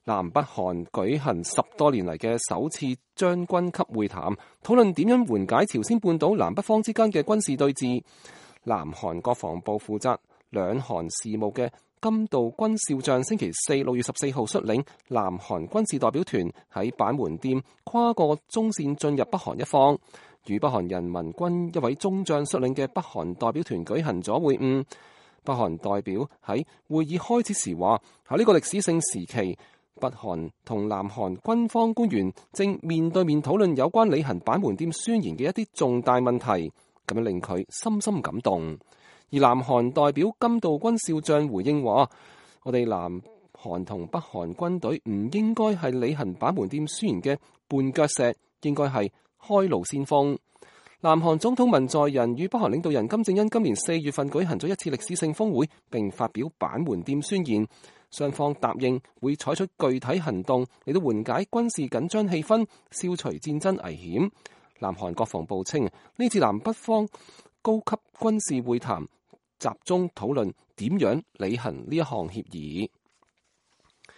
南北韓舉行10多年嚟嘅首次將軍級會談，討論點樣緩解朝鮮半島南北方之間嘅軍事對峙。南韓國防部負責兩韓事務嘅金道軍少將星期四6月14號率領南韓軍事代表團喺板門店跨過中線進入北韓一方，與北韓人民軍一位中將率領嘅北韓代表團舉行咗會晤。北韓代表喺會議開始時話：喺呢個歷史性時期，北韓同南韓軍方官員正面對面討論有關履行板門店宣言嘅一啲重大問題，咁樣令佢深深感動。而南韓代表金道軍少將回應話：我哋南韓同北韓軍隊唔應該係履行板門店宣言嘅絆腳石，應該係開路先鋒。南韓總統文在寅與北韓領導人金正恩今年4月份舉行咗一次歷史性峰會，並發表板門店宣言。雙方答應會採取具體行動嚟到緩解軍事緊張氣氛，消除戰爭危險。南韓國防部稱，呢次南北方高級軍事會談集中討論點樣履行呢一項協議。